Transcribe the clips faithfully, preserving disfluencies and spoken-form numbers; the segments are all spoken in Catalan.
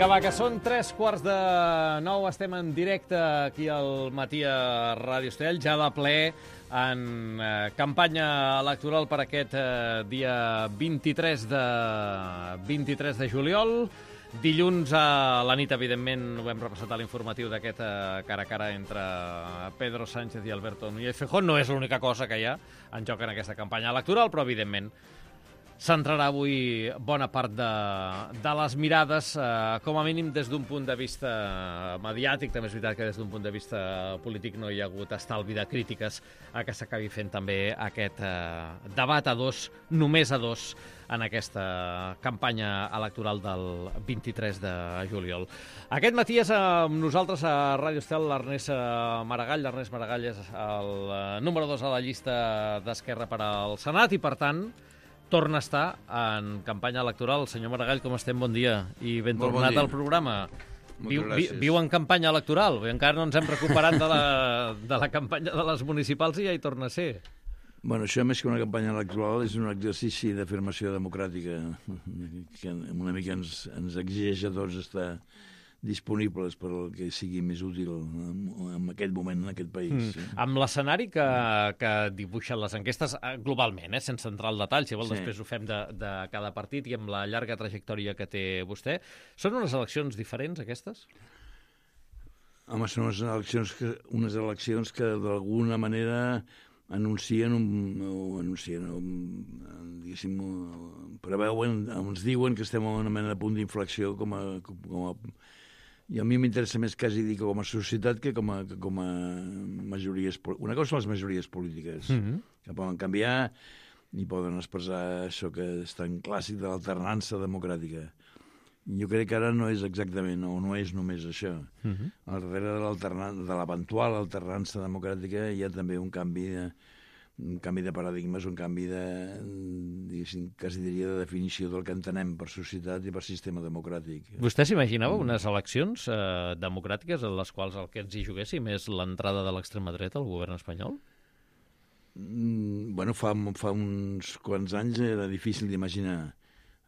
Vinga, va, que són tres quarts de nou, estem en directe aquí al matí a Ràdio Estel, ja de ple en eh, campanya electoral per aquest eh, dia vint-i-tres de, vint-i-tres de juliol. Dilluns a la nit, evidentment, ho hem repassat a l'informatiu d'aquest eh, cara a cara entre Pedro Sánchez i Alberto Núñez Feijóo. No és l'única cosa que hi ha en joc en aquesta campanya electoral, però, evidentment, centrarà avui bona part de, de les mirades, eh, com a mínim des d'un punt de vista mediàtic. També és veritat que des d'un punt de vista polític no hi ha hagut estalvi de crítiques a que s'acabi fent també aquest eh, debat a dos, només a dos, en aquesta campanya electoral del vint-i-tres de juliol. Aquest matí és amb nosaltres a Ràdio Estel l'Ernest Maragall. L'Ernest Maragall és el número dos a la llista d'Esquerra per al Senat i, per tant, torna a estar en campanya electoral. Senyor Maragall, com estem? Bon dia i ben Molt tornat bon al programa. Viu, vi, gràcies. viu en campanya electoral. Encara no ens hem recuperat de la, de la campanya de les municipals i ja hi torna a ser. Bueno, això més que una campanya electoral és un exercici d'afirmació democràtica que una mica ens, ens exigeix a tots estar disponibles per al que sigui més útil en aquest moment, en aquest país. Mm. Amb l'escenari que, que dibuixen les enquestes globalment, eh, sense entrar al detall, si vol, sí. Després ho fem de, de cada partit i amb la llarga trajectòria que té vostè. Són unes eleccions diferents, aquestes? Home, són unes eleccions que, unes eleccions que d'alguna manera anuncien, un, o anuncien o, diguéssim, preveuen, ens diuen que estem en una mena de punt d'inflexió com a, com a i a mi m'interessa més quasi dir com a societat que com a, que com a majories... Una cosa són les majories polítiques, mm-hmm. que poden canviar i poden expressar això que és tan clàssic de l'alternança democràtica. Jo crec que ara no és exactament, o no és només això. Mm-hmm. Al darrere de, de l'eventual alternança democràtica hi ha també un canvi de, un canvi de paradigmes, un canvi de, diguéssim, quasi diria de definició del que entenem per societat i per sistema democràtic. Vostè s'imaginava unes eleccions eh, democràtiques en les quals el que ens hi juguéssim és l'entrada de l'extrema dreta al govern espanyol? Mm, bueno, fa, fa uns quants anys era difícil d'imaginar.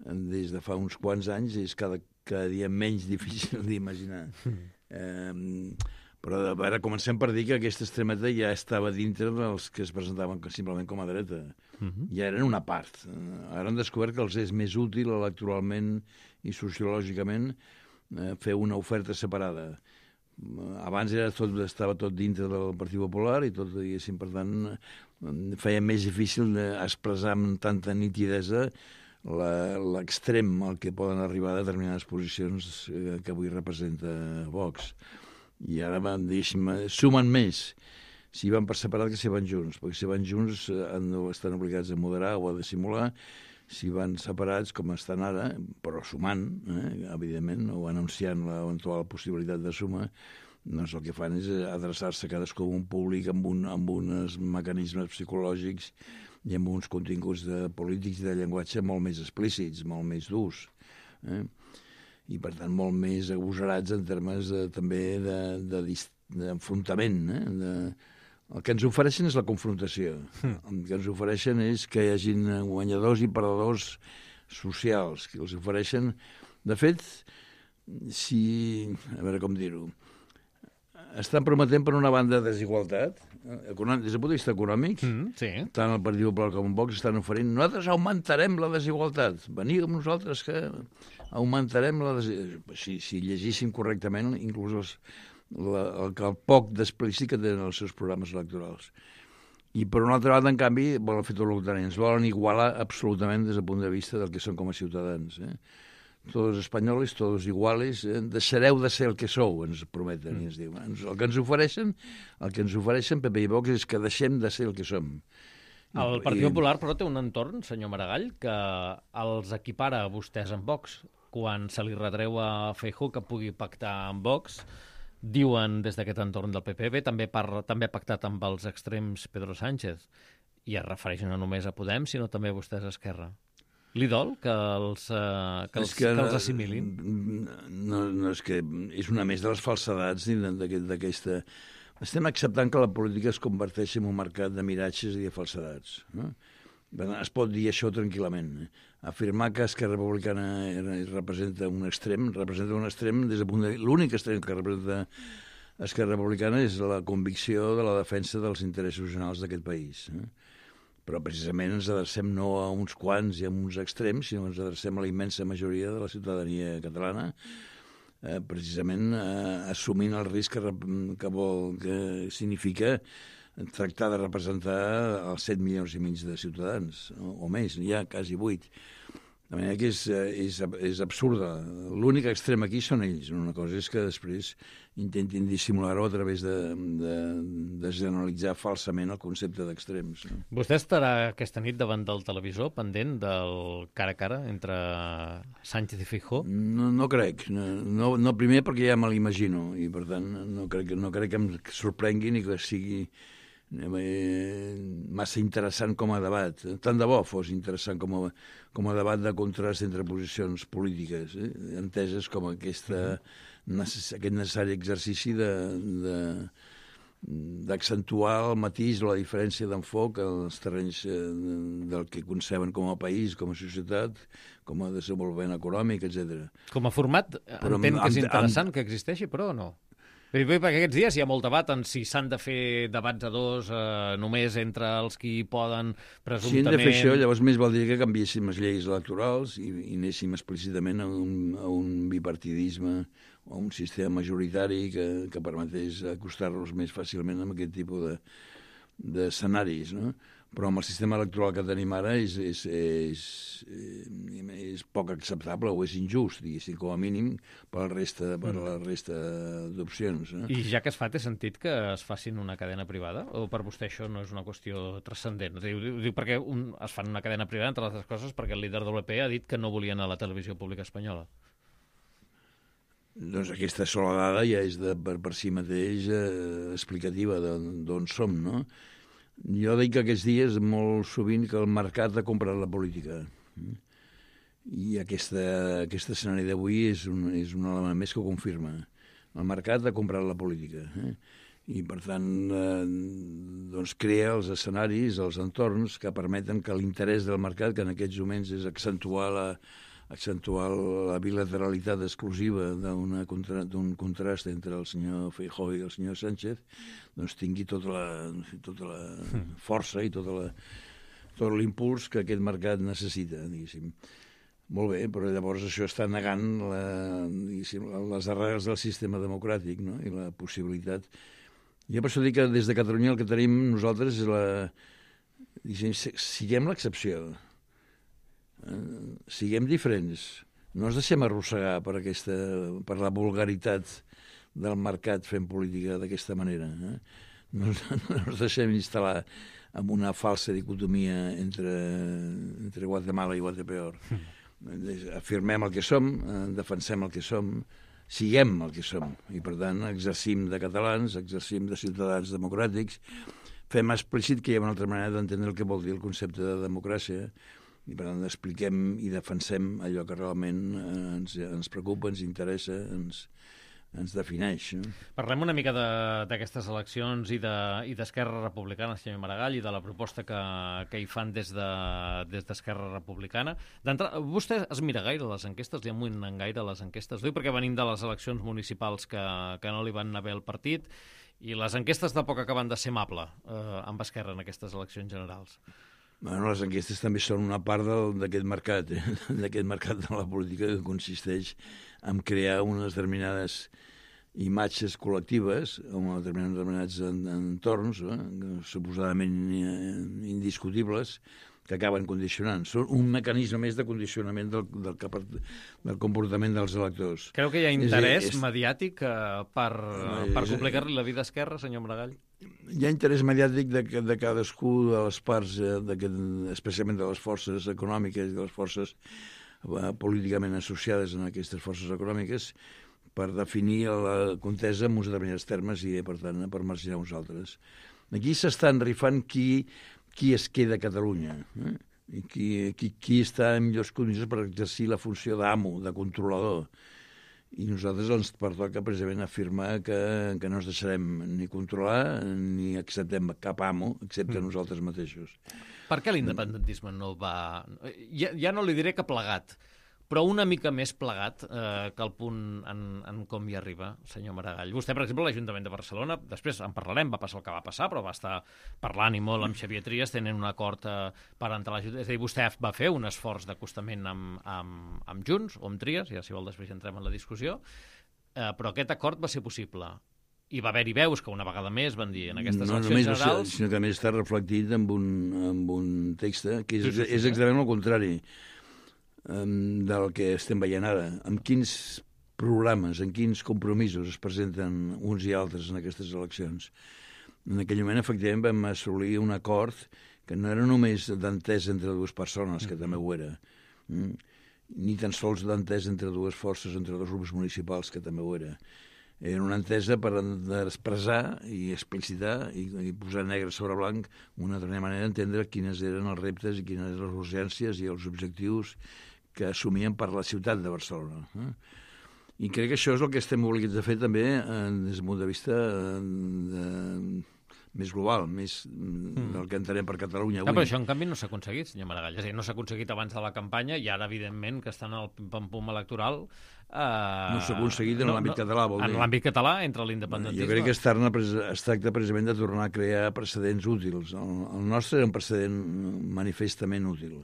Des de fa uns quants anys és cada, cada dia menys difícil d'imaginar. Mm. Eh, Però a veure, comencem per dir que aquesta extrema dreta ja estava dintre dels que es presentaven simplement com a dreta. Uh-huh. Ja eren una part. Ara han descobert que els és més útil electoralment i sociològicament eh, fer una oferta separada. Abans era tot, estava tot dintre del Partit Popular i tot, diguéssim, per tant, feia més difícil expressar amb tanta nitidesa l'extrem al que poden arribar a determinades posicions que avui representa Vox. I ara van, diguéssim, sumen més si van per separat que si van junts, perquè si van junts han, estan obligats a moderar o a dissimular, si van separats com estan ara, però sumant, eh, evidentment, o anunciant l'eventual possibilitat de suma, doncs el que fan és adreçar-se cadascú a un públic amb, un, amb uns mecanismes psicològics i amb uns continguts de polítics i de llenguatge molt més explícits, molt més durs, eh? I, per tant, molt més agosarats en termes de, també d'enfrontament. De, de, eh? de... El que ens ofereixen és la confrontació. Mm. El que ens ofereixen és que hi hagin guanyadors i perdedors socials, que els ofereixen... De fet, si... A veure com dir-ho... Estan prometent, per una banda, desigualtat, econòmic, des del punt de vista econòmic, mm, sí. Tant el Partit Popular com el Vox estan oferint nosaltres augmentarem la desigualtat. Veniu amb nosaltres que augmentarem la desigualtat. Si, si llegíssim correctament, inclús els, la, el, el poc d'explícit que tenen els seus programes electorals. I, per una altra banda, en canvi, volen fer tot el contrari. Ens volen igualar absolutament des del punt de vista del que són com a ciutadans, eh? Tots espanyols, tots iguals, eh? Deixareu de ser el que sou, ens prometen, mm. i ens diuen. El que ens ofereixen, el que ens ofereixen P P i Vox és que deixem de ser el que som. El Partit I... Popular, però, té un entorn, senyor Maragall, que els equipara a vostès amb Vox. Quan se li retreu a Feijóo que pugui pactar amb Vox, diuen des d'aquest entorn del P P, bé, també, parla, també ha pactat amb els extrems Pedro Sánchez, i es refereixen no només a Podem, sinó també a vostès a Esquerra. Li dol que els, uh, que els, que, que els assimilin? No, no, és que és una més de les falsedats d'aquesta... Estem acceptant que la política es converteixi en un mercat de miratges i de falsedats. No? Es pot dir això tranquil·lament. Afirmar que Esquerra Republicana representa un extrem, representa un extrem des del punt de vista... L'únic extrem que representa Esquerra Republicana és la convicció de la defensa dels interessos generals d'aquest país. Però precisament ens adrecem no a uns quants i a uns extrems, sinó que ens adrecem a la immensa majoria de la ciutadania catalana, eh, precisament eh, assumint el risc que, que, vol, que significa tractar de representar els set milions i mig de ciutadans, o, o més, ja quasi vuit. De manera que és, és, és absurda. L'únic extrem aquí són ells. Una cosa és que després intentin dissimular-ho a través de, de, de generalitzar falsament el concepte d'extrems. No? Vostè estarà aquesta nit davant del televisor pendent del cara a cara entre Sánchez i Feijóo? No, no crec. No, no primer perquè ja me l'imagino i per tant no crec, no crec que em sorprengui ni que sigui massa interessant com a debat. Tant de bo fos interessant com a, com a debat de contrast entre posicions polítiques, eh? enteses com aquesta, necess, aquest necessari exercici de, de, d'accentuar el matís o la diferència d'enfoc als terrenys del que conceben com a país, com a societat, com a desenvolupament econòmic, etcètera. Com a format, però entenc que és interessant amb... que existeixi, però no? Perquè aquests dies hi ha molt debat en si s'han de fer debats a dos eh, només entre els qui poden presumptament... Si hem de fer això, llavors més valdria que canviéssim les lleis electorals i, i anéssim explícitament a un, a un bipartidisme o a un sistema majoritari que, que permetés acostar-nos més fàcilment amb aquest tipus de, d'escenaris, no? Però amb el sistema electoral que tenim ara és, és, és, és poc acceptable o és injust, diguéssim, com a mínim, per la resta, per la resta d'opcions. No? I ja que es fa, té sentit que es facin una cadena privada? O per vostè això no és una qüestió transcendent? Diu, diu perquè un, es fan una cadena privada, entre altres coses, perquè el líder del P P ha dit que no volien a la televisió pública espanyola. Doncs aquesta sola dada ja és de, per, per si mateix eh, explicativa d'on som, no? Jo dic que aquests dies molt sovint que el mercat ha comprat la política. I aquesta, aquest escenari d'avui és, un, és un element més que ho confirma. El mercat ha comprat la política. Eh? I, per tant, eh, doncs crea els escenaris, els entorns que permeten que l'interès del mercat, que en aquests moments és accentuar la, accentuar la bilateralitat exclusiva d'un contra, contrast entre el senyor Feijóo i el senyor Sánchez, doncs tingui tota la, tota la força i tota la, tot l'impuls que aquest mercat necessita, diguéssim. Molt bé, però llavors això està negant la, les arrels del sistema democràtic, no? I la possibilitat. Jo per això dic que des de Catalunya el que tenim nosaltres és la... Siguem l'excepció. Uh, siguem diferents, no ens deixem arrossegar per, aquesta, per la vulgaritat del mercat fent política d'aquesta manera. Eh? No, no ens deixem instal·lar en una falsa dicotomia entre, entre Guatemala i Guatepeor. Mm. Afirmem el que som, eh, defensem el que som, siguem el que som, i per tant exercim de catalans, exercim de ciutadans democràtics, fem explícit que hi ha una altra manera d'entendre el que vol dir el concepte de democràcia, i per tant expliquem i defensem allò que realment eh, ens, ens preocupa, ens interessa, ens, ens defineix. No? Parlem una mica d'aquestes eleccions i d'Esquerra de, Republicana, senyor Maragall, i de la proposta que, que hi fan des d'Esquerra de, Republicana. Vostè es mira gaire les enquestes, li amunen gaire les enquestes? Diu perquè venim de les eleccions municipals que, que no li van anar bé al partit, i les enquestes de poc acaben de ser amable eh, amb Esquerra en aquestes eleccions generals. Bueno, les enquestes també són una part d'aquest mercat, eh? d'aquest mercat de la política que consisteix en crear unes determinades imatges col·lectives, en determinats entorns, eh? suposadament indiscutibles, que acaben condicionant. Són un mecanisme més de condicionament del, del, del comportament dels electors. Creu que hi ha interès és, és... mediàtic uh, per, uh, per complicar-li la vida a Esquerra, senyor Maragall? Hi ha interès mediàtic de, de cadascú de les parts, eh, especialment de les forces econòmiques i de les forces eh, políticament associades a aquestes forces econòmiques, per definir la contesa en uns determinats termes i, per tant, per marginar uns altres. Aquí s'estan rifant qui... qui es queda a Catalunya, eh? I qui, qui, qui està en millors condicions per exercir la funció d'amo, de controlador. i nosaltres ens pertoca precisament afirmar que, que no ens deixarem ni controlar ni acceptem cap amo, excepte mm. nosaltres mateixos. Per què l'independentisme no va... Ja, ja no li diré que plegat, però una mica més plegat eh, que el punt en, en com hi arriba, senyor Maragall. Vostè, per exemple, l'Ajuntament de Barcelona, després en parlarem, va passar el que va passar, però va estar parlant i molt amb Xavier Trias, tenen un acord eh, per entrar a l'Ajuntament. És a dir, vostè va fer un esforç d'acostament amb, amb, amb Junts o amb Trias, ja si vol després entrem en la discussió, eh, però aquest acord va ser possible. I va haver-hi veus que una vegada més van dir en aquestes no, eleccions generals... Ser, sinó que a més està reflectit en un, en un text que és, sí, sí, sí, és exactament el contrari um, del que estem veient ara. Amb quins programes, en quins compromisos es presenten uns i altres en aquestes eleccions. En aquell moment, efectivament, vam assolir un acord que no era només d'entesa entre dues persones, que mm. també ho era, mm? ni tan sols d'entesa entre dues forces, entre dos grups municipals, que també ho era. Era una entesa per expressar i explicitar i, i posar negre sobre blanc una altra manera d'entendre quines eren els reptes i quines eren les urgències i els objectius que assumien per la ciutat de Barcelona. Eh? I crec que això és el que estem obligats a fer també eh, des del punt de vista eh, de, més global, més mm. del que entenem per Catalunya avui. Ja, però això, en canvi, no s'ha aconseguit, senyor Maragall. És a dir, no s'ha aconseguit abans de la campanya i ara, evidentment, que estan al pim-pam-pum electoral... Eh, no s'ha aconseguit en no, l'àmbit no, català, vol dir. En l'àmbit català, entre l'independentisme... Jo crec que es tracta, es tracta precisament de tornar a crear precedents útils. El, el nostre era un precedent manifestament útil.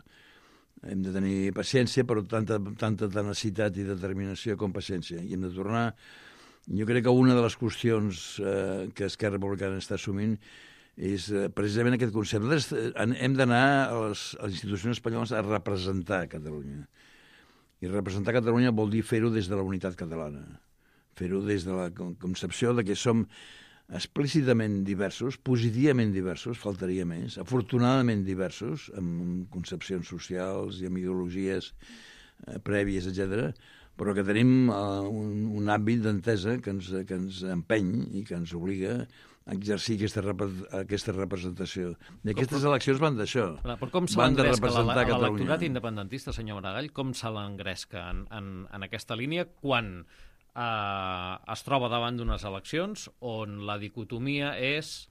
Hem de tenir paciència, però tanta, tanta tenacitat i determinació com paciència. I hem de tornar... Jo crec que una de les qüestions eh, que Esquerra Republicana està assumint és eh, precisament aquest concepte. Nosaltres hem d'anar a, les, a les institucions espanyoles a representar Catalunya. I representar Catalunya vol dir fer-ho des de la unitat catalana. Fer-ho des de la concepció de que som explícitament diversos, positivament diversos, faltaria més, afortunadament diversos, amb concepcions socials i amb ideologies eh, prèvies, etcètera, però que tenim uh, un, un àmbit d'entesa que ens, que ens empeny i que ens obliga a exercir aquesta, rep aquesta representació. I aquestes com, eleccions van d'això. Però com se l'engresca l'electorat independentista, senyor Maragall, com se l'engresca en, en, en aquesta línia quan eh, es troba davant d'unes eleccions on la dicotomia és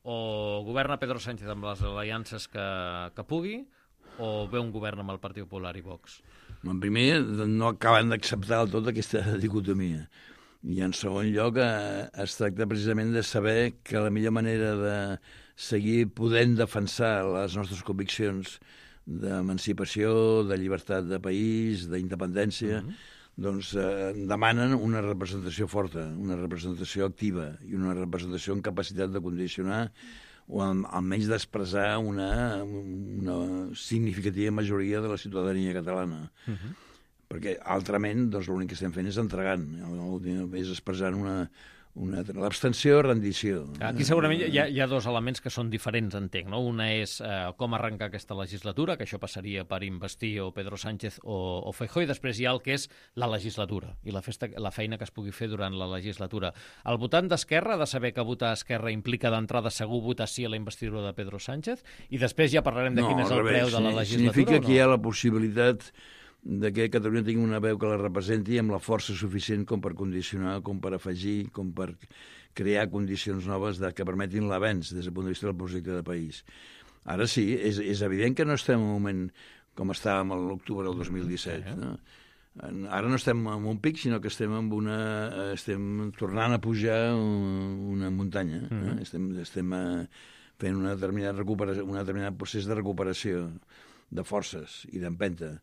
o governa Pedro Sánchez amb les aliances que, que pugui o ve un govern amb el Partit Popular i Vox? En primer, no acaben d'acceptar del tot aquesta dicotomia. I en segon lloc, eh, es tracta precisament de saber que la millor manera de seguir podent defensar les nostres conviccions d'emancipació, de llibertat de país, d'independència, mm-hmm. doncs eh, demanen una representació forta, una representació activa i una representació amb capacitat de condicionar o almenys d'expressar una, una significativa majoria de la ciutadania catalana. Uh-huh. Perquè, altrament, doncs, l'únic que estem fent és entregant, és expressant una, una l'abstenció, rendició. Aquí segurament hi ha, hi ha dos elements que són diferents, entenc, no? Una és eh, com arrencar aquesta legislatura, que això passaria per investir o Pedro Sánchez o, o Feijóo, i després hi ha el que és la legislatura i la, festa, la feina que es pugui fer durant la legislatura. El votant d'Esquerra ha de saber que votar a Esquerra implica d'entrada segur votar sí a la investidura de Pedro Sánchez, i després ja parlarem de no, quin és el revés, preu de la legislatura. Significa no? que hi ha la possibilitat de que Catalunya tingui una veu que la representi amb la força suficient com per condicionar, com per afegir, com per crear condicions noves de, que permetin l'avenç des del punt de vista del projecte de país. Ara sí, és, és evident que no estem en un moment com estàvem a l'octubre del dos mil disset. No? Ara no estem en un pic, sinó que estem en una, estem tornant a pujar una muntanya. Mm-hmm. eh? Estem, estem fent una determinada recuperació, un determinat procés de recuperació de forces i d'empenta.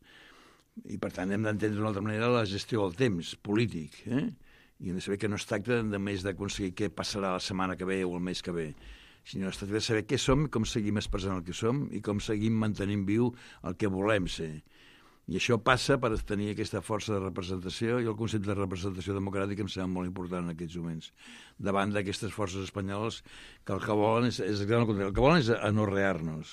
I, per tant, hem d'entendre d'una altra manera la gestió del temps polític, eh? I hem de saber que no es tracta només d'aconseguir què passarà la setmana que ve o el mes que ve, sinó es tracta de saber què som, com seguim expressant el que som i com seguim mantenint viu el que volem ser. I això passa per tenir aquesta força de representació i el concepte de representació democràtica em sembla molt important en aquests moments, davant d'aquestes forces espanyoles que el que volen és, és el que volen és anorrear-nos.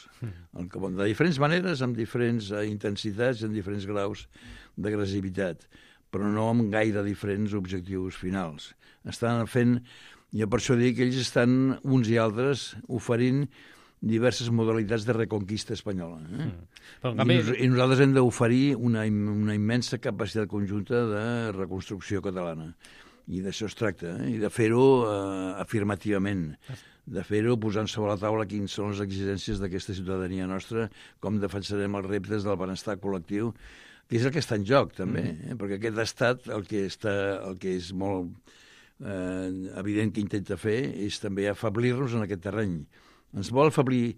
El que volen, de diferents maneres, amb diferents intensitats, amb diferents graus d'agressivitat, però no amb gaire diferents objectius finals. Estan fent, jo per això dic que ells estan, uns i altres, oferint diverses modalitats de reconquista espanyola. Eh? Mm. Però, canvi... I, nos I nosaltres hem d'oferir una, una immensa capacitat conjunta de reconstrucció catalana. I d'això es tracta, eh? I de fer-ho eh, afirmativament, de fer-ho posant sobre la taula quines són les exigències d'aquesta ciutadania nostra, com defensarem els reptes del benestar col·lectiu, que és el que està en joc, també, eh? Perquè aquest estat, el que, està, el que és molt eh, evident que intenta fer, és també afablir-nos en aquest terreny. Ens vol afablir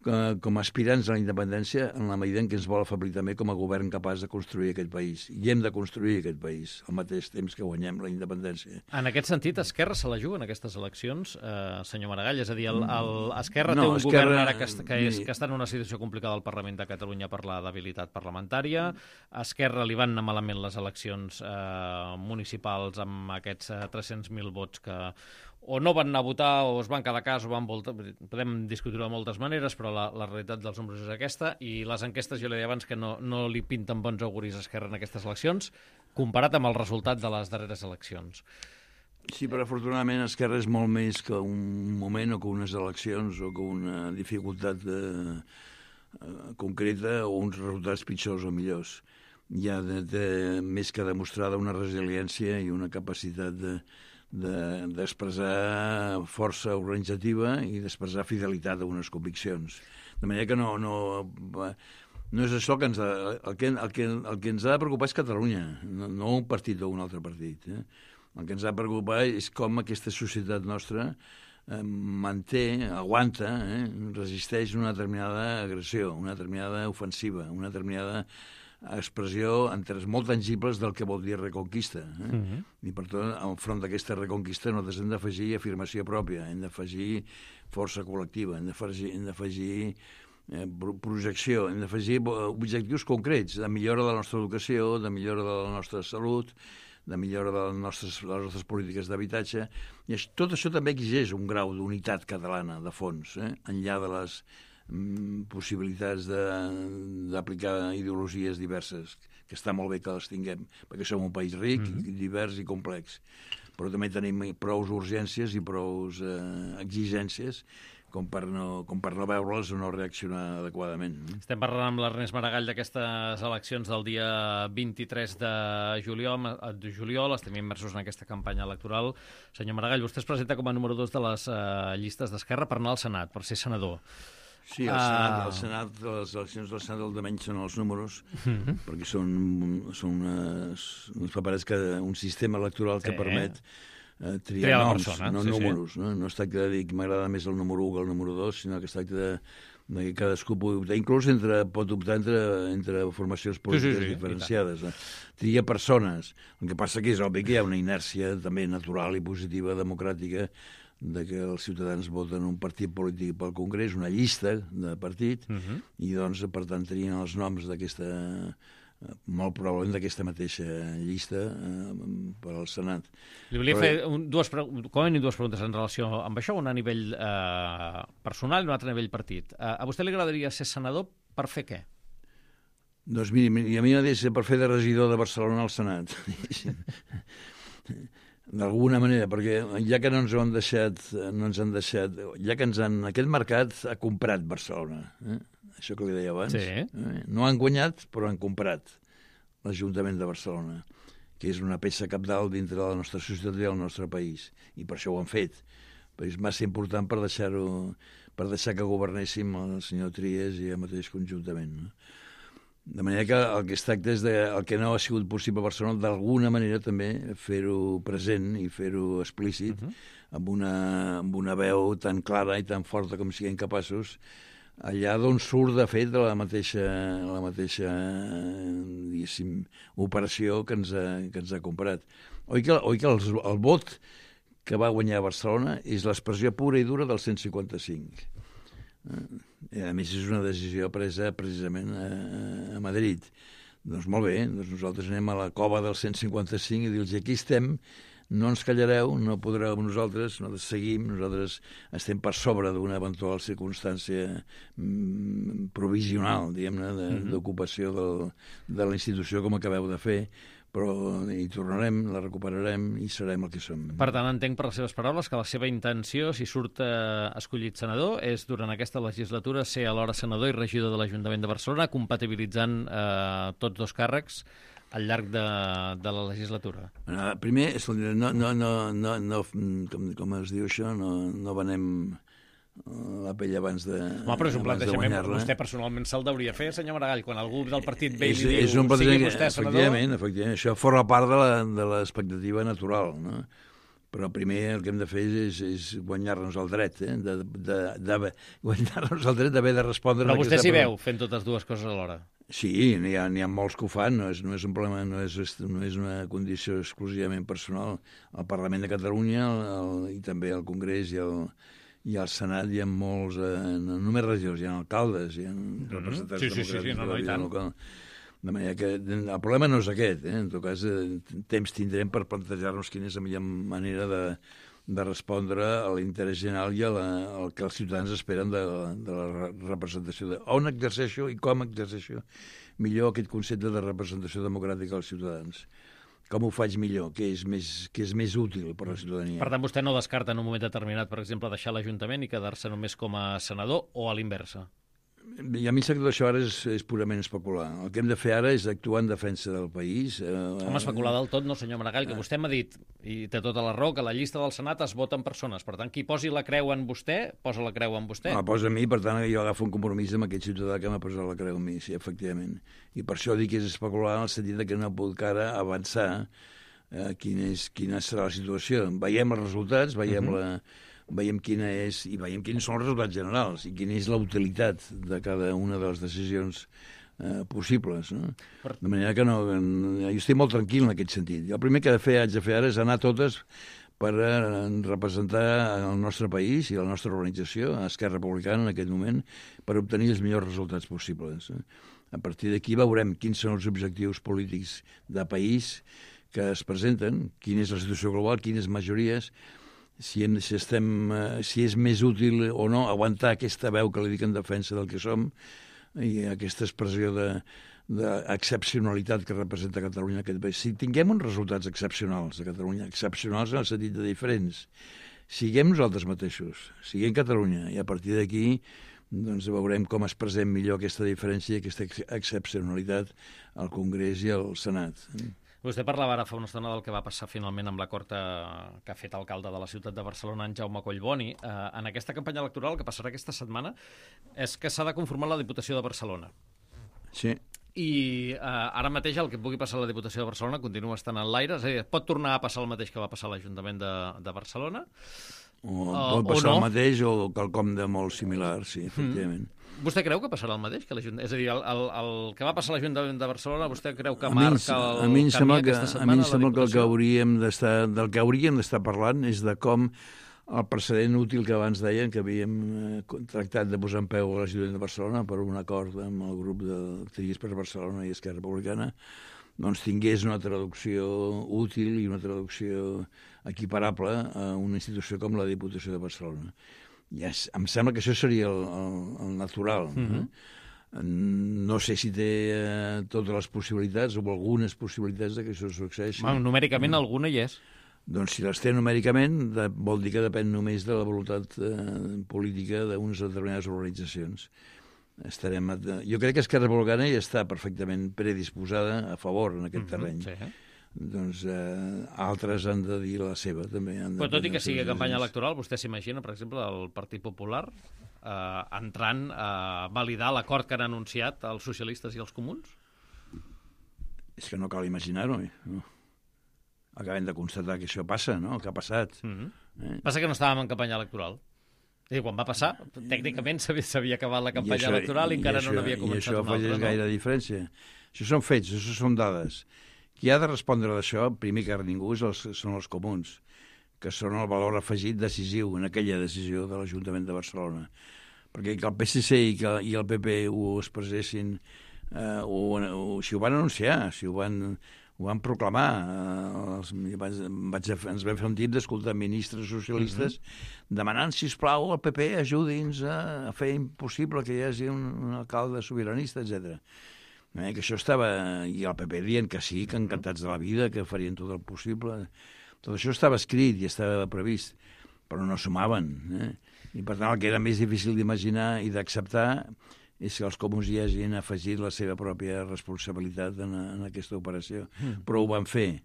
eh, com a aspirants a la independència en la medida en què ens vol afablir també com a govern capaç de construir aquest país. I hem de construir aquest país al mateix temps que guanyem la independència. En aquest sentit, Esquerra se la juga en aquestes eleccions, eh, senyor Maragall? És a dir, el, el Esquerra no, té un Esquerra, govern ara que, que, és, que està en una situació complicada al Parlament de Catalunya per la debilitat parlamentària. A Esquerra li van anar malament les eleccions eh, municipals amb aquests eh, tres-cents mil vots que o no van anar a votar o es van quedar a casa o van voltar. Podem discutir-ho de moltes maneres, però la, la realitat dels números és aquesta, i les enquestes, jo li deia abans que no, no li pinten bons auguris a Esquerra en aquestes eleccions, comparat amb el resultat de les darreres eleccions. Sí, però afortunadament Esquerra és molt més que un moment o que unes eleccions o que una dificultat eh, concreta o uns resultats pitjors o millors. Hi ha de, de, més que demostrada una resiliència i una capacitat de d'expressar de, força organitzativa i d'expressar fidelitat a unes conviccions. De manera que no, no, no és això que ens ha, el, que, el, que, el que ens ha de preocupar és Catalunya, no, no un partit o un altre partit. Eh? El que ens ha de preocupar és com aquesta societat nostra eh, manté, aguanta, eh, resisteix una determinada agressió, una determinada ofensiva, una determinada expressió en termes molt tangibles del que vol dir reconquista. Eh? Uh-huh. I per tot, enfront d'aquesta reconquista nosaltres hem d'afegir afirmació pròpia, hem d'afegir força col·lectiva, hem d'afegir, hem d'afegir eh, projecció, hem d'afegir objectius concrets de millora de la nostra educació, de millora de la nostra salut, de millora de les nostres, de les nostres polítiques d'habitatge. I això, tot això també exigeix un grau d'unitat catalana, de fons, eh? Enllà de les possibilitats d'aplicar ideologies diverses, que està molt bé que les tinguem, perquè som un país ric, mm-hmm. divers i complex. Però també tenim prous urgències i prous eh, exigències com per no, com per no veure-les o no reaccionar adequadament. Estem parlant amb l'Ernest Maragall d'aquestes eleccions del dia vint-i-tres de juliol, de juliol. Estem immersos en aquesta campanya electoral. Senyor Maragall, vostè es presenta com a número dos de les uh, llistes d'Esquerra per anar al Senat, per ser senador. Sí, el Senat, el Senat, les eleccions del Senat del menys són els números, mm-hmm. perquè són, són unes, uns paperets que un sistema electoral que sí. permet eh, triar, triar noms, persona. no sí, números. Sí. No? no es tracta de dir que m'agrada més el número u que el número dos, sinó que es tracta de, de que cadascú pugui optar. Inclús entre, pot optar entre, entre formacions polítiques sí, sí, sí, diferenciades. Eh? Tria persones. El que passa que és obvi que hi ha una inèrcia també natural i positiva, democràtica, de que els ciutadans voten un partit polític pel Congrés, una llista de partit, uh-huh. i doncs, per tant, trien els noms d'aquesta, molt probablement d'aquesta mateixa llista eh, per al Senat. Li volia Però... fer un, dues, com a mínim dues preguntes en relació amb això, una a nivell eh, personal i una altra a nivell partit. Eh, a vostè li agradaria ser senador per fer què? Doncs miri, a mi m'agradaria ser per fer de regidor de Barcelona al Senat. D'alguna manera, perquè ja que no ens ho han deixat, no ens han deixat, ja que ens han, aquest mercat ha comprat Barcelona, eh? Això que li deia abans. Sí. Eh? No han guanyat, però han comprat l'Ajuntament de Barcelona, que és una peça cabdal dintre de la nostra societat i del nostre país, i per això ho han fet. Però és massa important per deixar-ho, per deixar que governéssim el senyor Trias i el mateix conjuntament, no? De manera que el que es tracta és de, el que no ha sigut possible a Barcelona, d'alguna manera també fer-ho present i fer-ho explícit, uh-huh. amb, una, amb una veu tan clara i tan forta com siguem capaços, allà d'on surt, de fet, la mateixa, la mateixa diguéssim, operació que ens ha, que ens ha comprat. Oi que, oi que el, el vot que va guanyar a Barcelona és l'expressió pura i dura del cent cinquanta-cinc. I a més és una decisió presa precisament a, a Madrid. Doncs molt bé, doncs nosaltres anem a la cova del cent cinquanta-cinc i dir-los aquí estem, no ens callareu, no podreu amb nosaltres, nosaltres seguim, nosaltres estem per sobre d'una eventual circumstància mm, provisional, diguem-ne, d'ocupació de, de la institució com acabeu de fer, però hi tornarem, la recuperarem i serem el que som. Per tant, entenc per les seves paraules que la seva intenció, si surt eh, escollit senador, és durant aquesta legislatura ser alhora senador i regidor de l'Ajuntament de Barcelona, compatibilitzant eh, tots dos càrrecs al llarg de, de la legislatura. Uh, primer, no, no, no, no, no com, com es diu això, no, no venem la pell abans de Home, però és un plantejament que vostè personalment se'l deuria fer, senyor Maragall, quan algú del partit ve i li diu, és un sigui vostè senador... Efectivament, efectivament, això forma part de l'expectativa natural, no? Però primer el que hem de fer és, és guanyar-nos el dret, eh? de, de, de, guanyar-nos el dret d'haver de respondre... Però vostè s'hi veu fent totes dues coses alhora. Sí, n'hi ha, n'hi ha molts que ho fan, no és, no és un problema, no és, no és una condició exclusivament personal. Al Parlament de Catalunya el, el, i també al Congrés i al, i al Senat hi ha molts, eh, no només regidors, hi ha alcaldes, hi ha representants sí, sí, sí, sí, no, no, de la vida local. De manera que el problema no és aquest, eh? En tot cas, eh, temps tindrem per plantejar-nos quina és la millor manera de, de respondre a l'interès general i a la, al que els ciutadans esperen de, de la representació. De, on exerceixo i com exerceixo millor aquest concepte de representació democràtica als ciutadans. Com ho faig millor, que és més, que és més útil per a la ciutadania. Per tant, vostè no descarta en un moment determinat, per exemple, deixar l'Ajuntament i quedar-se només com a senador o a l'inversa? I a mi sembla que això ara és, és purament especular. El que hem de fer ara és actuar en defensa del país. Eh, Home, especular del tot no, senyor Maragall, que vostè m'ha dit, i té tota la raó, que la llista del Senat es vota en persones. Per tant, qui posi la creu en vostè, posa la creu en vostè. La posa a mi, per tant, jo agafo un compromís amb aquest ciutadà que m'ha posat la creu a mi, sí, efectivament. I per això dic que és especular en el sentit que no puc ara avançar eh, quina, és, quina serà la situació. Veiem els resultats, veiem uh-huh. la... veiem quina és, i veiem quins són els resultats generals i quina és la utilitat de cada una de les decisions eh, possibles. No? Per... De manera que no, jo estic molt tranquil en aquest sentit. Jo el primer que he de fer, haig de fer ara és anar totes per eh, representar el nostre país i la nostra organització, Esquerra Republicana en aquest moment, per obtenir els millors resultats possibles. A partir d'aquí veurem quins són els objectius polítics de país que es presenten, quina és la situació global, quines majories, Si, hem, si, estem, uh, si és més útil o no aguantar aquesta veu que li dic en defensa del que som i aquesta expressió d'excepcionalitat que representa Catalunya en aquest país. Si tinguem uns resultats excepcionals a Catalunya, excepcionals en el sentit de diferents, siguem nosaltres mateixos, siguem Catalunya, i a partir d'aquí doncs veurem com expressem millor aquesta diferència i aquesta ex excepcionalitat al Congrés i al Senat. Vostè parlava ara fa una estona del que va passar finalment amb l'acord que, que ha fet alcalde de la ciutat de Barcelona, en Jaume Collboni. Eh, en aquesta campanya electoral que passarà aquesta setmana és que s'ha de conformar la Diputació de Barcelona. Sí. I eh, ara mateix el que pugui passar a la Diputació de Barcelona continua estant en l'aire, és a dir, pot tornar a passar el mateix que va passar a l'Ajuntament de, de Barcelona? O pot passar o no. el mateix o quelcom de molt similar, sí, efectivament. Mm. Vostè creu que passarà el mateix? Que és a dir, el, el, el que va passar a l'Ajuntament de Barcelona, vostè creu que a marca el a mi camí que, aquesta setmana? A mi em sembla que, el que hauríem d'estar, del que hauríem d'estar parlant és de com el precedent útil que abans deien, que havíem eh, tractat de posar en peu a l'Ajuntament de Barcelona per un acord amb el grup de Trias per Barcelona i Esquerra Republicana, doncs tingués una traducció útil i una traducció equiparable a una institució com la Diputació de Barcelona. Yes, em sembla que això seria el, el, el natural. Uh-huh. eh? No sé si té eh, totes les possibilitats o algunes possibilitats de que això succeeixi. Bueno, numèricament uh-huh. alguna hi és. Doncs si les té numèricament, de, vol dir que depèn només de la voluntat eh, política d'unes determinades organitzacions. Estarem a... Jo crec que Esquerra Republicana ja està perfectament predisposada a favor en aquest uh-huh. terreny. Sí. Doncs eh, altres han de dir la seva, també. Han Però tot i que sigui campanya electoral, vostè s'imagina, per exemple, el Partit Popular eh, entrant a validar l'acord que han anunciat els socialistes i els comuns? És que no cal imaginar-ho. No? Acabem de constatar que això passa, no? El que ha passat. Uh-huh. eh? Passa que no estàvem en campanya electoral. És dir, quan va passar, tècnicament s'havia acabat la campanya això, i encara i això, no n'havia començat una altra. I això afegeix gaire diferència. Això són fets, això són dades. Qui ha de respondre d'això, primer que ningú, els, són els comuns, que són el valor afegit decisiu en aquella decisió de l'Ajuntament de Barcelona. Perquè que el P S C i, que, i el P P ho expressessin, eh, o, o, si ho van anunciar, si ho van, ho van proclamar, eh, els, vaig, vaig, ens vam fer un tip d'escoltar ministres socialistes uh-huh. demanant, sisplau, al P P ajudi'ns a, a fer impossible que hi hagi un, un alcalde sobiranista, etcètera. Eh, que això estava... I el P P dient que sí, que encantats de la vida, que farien tot el possible. Tot això estava escrit i estava previst, però no sumaven. Eh? I per tant el que era més difícil d'imaginar i d'acceptar és que els comuns hi hagin afegit la seva pròpia responsabilitat en, en aquesta operació. Mm. Però ho van fer.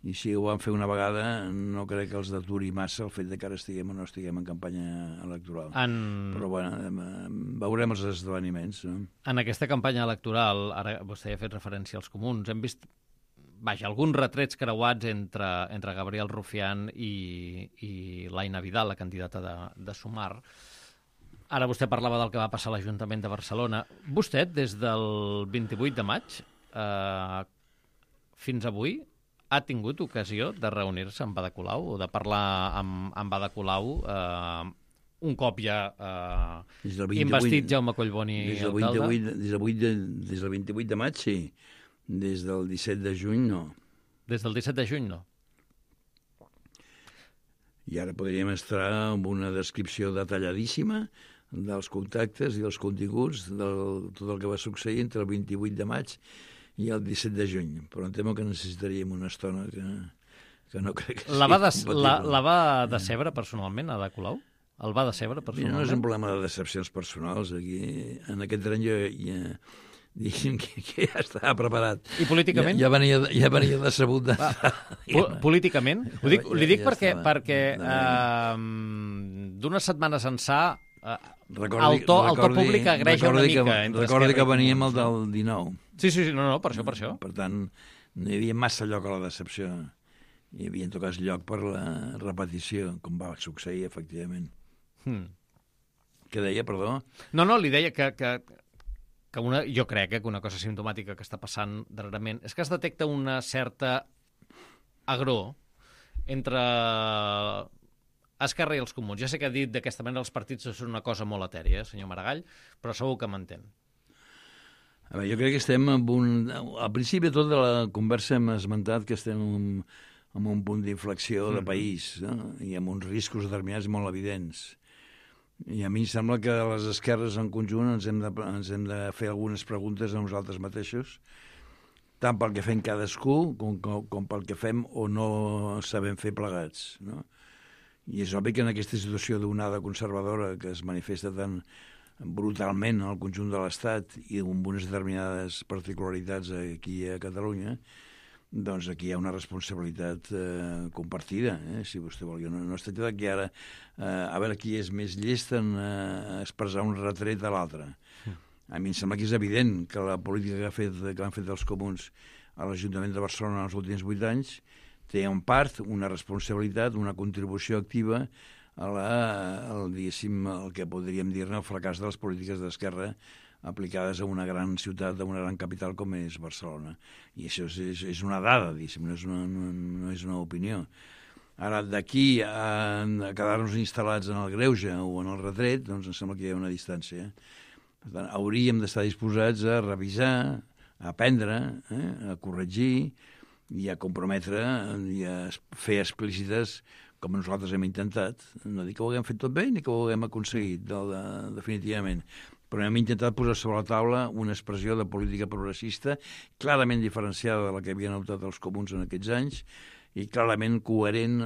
I si ho van fer una vegada, no crec que els deturi massa el fet de que ara estiguem o no estiguem en campanya electoral. En... Però bueno, veurem els esdeveniments. No? En aquesta campanya electoral, ara vostè ha fet referència als comuns, hem vist vaja, alguns retrets creuats entre, entre Gabriel Rufián i, i l'Aina Vidal, la candidata de, de Sumar. Ara vostè parlava del que va passar a l'Ajuntament de Barcelona. Vostè, des del vint-i-vuit de maig eh, fins avui, ha tingut ocasió de reunir-se amb Ada Colau o de parlar amb, amb Ada Colau eh, un cop ja eh, investit Jaume Collboni alcalde? Des del vint-i-vuit de, des del vint-i-vuit de maig, sí. Des del disset de juny, no. Des del disset de juny, no. I ara podríem estar amb una descripció detalladíssima dels contactes i dels continguts de tot el que va succeir entre el vint-i-vuit de maig i el disset de juny, però em temo que necessitaríem una estona que, que no crec que la va de, la, la va decebre personalment, Ada Colau? El va decebre personalment? No és un problema de decepcions personals. Aquí, en aquest tren jo ja, diguem que, que ja estava preparat. I políticament? Ja, ja, venia, ja venia decebut. De... Po políticament? Ho dic, li dic ja, ja perquè, perquè uh, d'unes setmanes ençà uh, recordi, el, to, el to públic agreja una mica. Que, recordi que veníem el del dinou. Sí, sí, sí, no, no, per això, per això. Per tant, no hi havia massa lloc a la decepció. Hi havia, en tot cas, lloc per la repetició, com va succeir, efectivament. Hmm. Què deia, perdó? No, no, li deia que, que, que una, jo crec eh, que una cosa simptomàtica que està passant darrerament és que es detecta una certa agror entre Esquerra i els comuns. Ja sé que ha dit d'aquesta manera els partits són una cosa molt etèria, senyor Maragall, però segur que m'entén. A veure, jo crec que estem en un... Al principi de tota la conversa hem esmentat que estem en, en un punt d'inflexió de país, no? I amb uns riscos determinats molt evidents. I a mi em sembla que les esquerres en conjunt ens hem de, ens hem de fer algunes preguntes a nosaltres mateixos, tant pel que fem cadascú com, com, com pel que fem o no sabem fer plegats, no? I és obvi que en aquesta situació d'onada conservadora que es manifesta tan brutalment al conjunt de l'Estat i amb unes determinades particularitats aquí a Catalunya, doncs aquí hi ha una responsabilitat eh, compartida, eh, si vostè vol. Jo no, no es tracta d'aquí ara eh, a veure qui és més llest en eh, expressar un retret a l'altre. A mi em sembla que és evident que la política que, ha fet, que han fet els comuns a l'Ajuntament de Barcelona en els últims vuit anys té en part una responsabilitat, una contribució activa a la, el, el que podríem dir-ne el fracàs de les polítiques d'esquerra aplicades a una gran ciutat, a una gran capital com és Barcelona. I això és, és, és una dada, no és una, no, no és una opinió. Ara, d'aquí a, a quedar-nos instal·lats en el greuge o en el retret, doncs em sembla que hi ha una distància. Per tant, hauríem d'estar disposats a revisar, a aprendre, eh, a corregir i a comprometre i a fer explícites com nosaltres hem intentat. No dic que ho haguem fet tot bé ni que ho haguem aconseguit, de, de, definitivament. Però hem intentat posar sobre la taula una expressió de política progressista clarament diferenciada de la que havien optat els comuns en aquests anys i clarament coherent